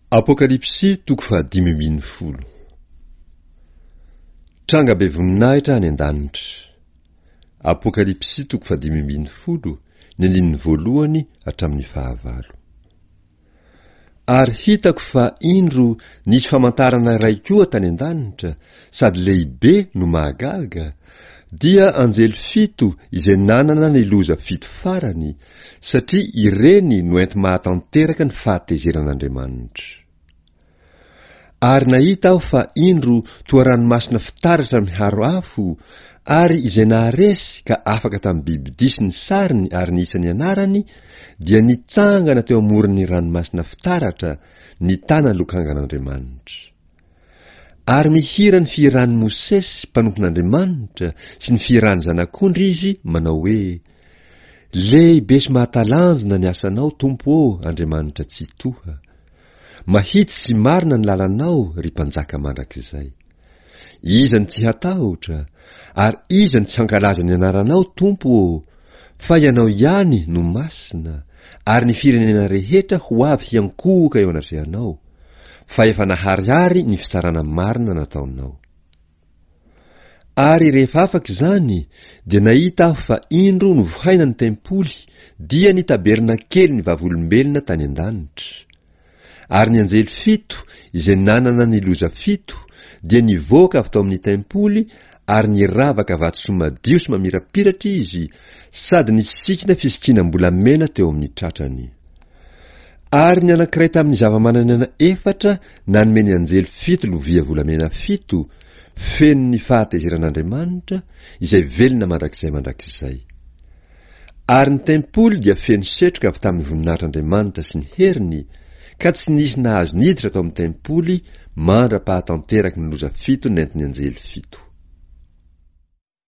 Apokalypsy toko fahadimy ambin'ny folo. Tranga be voninahitra any an-danitra. Apokalypsy toko fahadimy ambin'ny folo, ny andininy voalohany hatramin'ny fahavalo. Ary hitako fa indro nisy famantarana iray koa tany an-danitra, sady lehibe no mahagaga, dia anjely fito izay nanana ny loza fito farany, satria ireny no enti-mahatanteraka ny fahatezeran'Andriamanitra. Ary nahita aho fa indro toa ranomasina fitaratra miharo afo, ary izay naharesy ka afaka tamin'ny bibidia sy ny sariny ary ny isan'ny anarany dia nitsangana teo amoron'ny ranomasina fitaratra, nitana lokangan'Andriamanitra. Ary mihira ny fihiran'i Mosesy mpanompon'Andriamanitra sy ny fihiran'ny Zanak'ondry izy manao hoe, Lehibe sy mahatalanjona ny asanao, Tompo ô, Andriamanitra Tsitoha. Mahitsy sy marina ny lalanao, ry Mpanjaka mandrakizay. Iza no tsy hatahotra, ary iza no tsy hankalaza ny anaranao, Tompo ô? Fa Ianao ihany no masina, ary ny firenena rehetra ho avy hiankohoka eo anatrehanao. fa efa naharihary ny fitsarana marina nataonao. Ary rehefa afaka izany, dia nahita aho fa indro novohaina ny tempoly, dia ny tabernakelin'ny vavolombelona tany an-danitra. Ary ny anjely fito, izay nanana ny loza fito, dia nivoaka avy tao amin'ny tempoly ary niravaka vatosoa madio sy mamirapiratra izy, sady nisikina fisikinam-bolamena teo amin'ny tratrany. Ary ny anankiray tamin'ny zava-manan'aina efatra nanome ny anjely fito lovia volamena fito, feno ny fahatezeran'Andriamanitra, izay velona mandrakizay mandrakizay. Ary ny tempoly dia feno setroka avy tamin'ny voninahitr'Andriamanitra sy ny heriny, ka tsy nisy nahazo niditra tao amin'ny tempoly mandra-pahatanteraky ny loza fito nentin'ny anjely fito.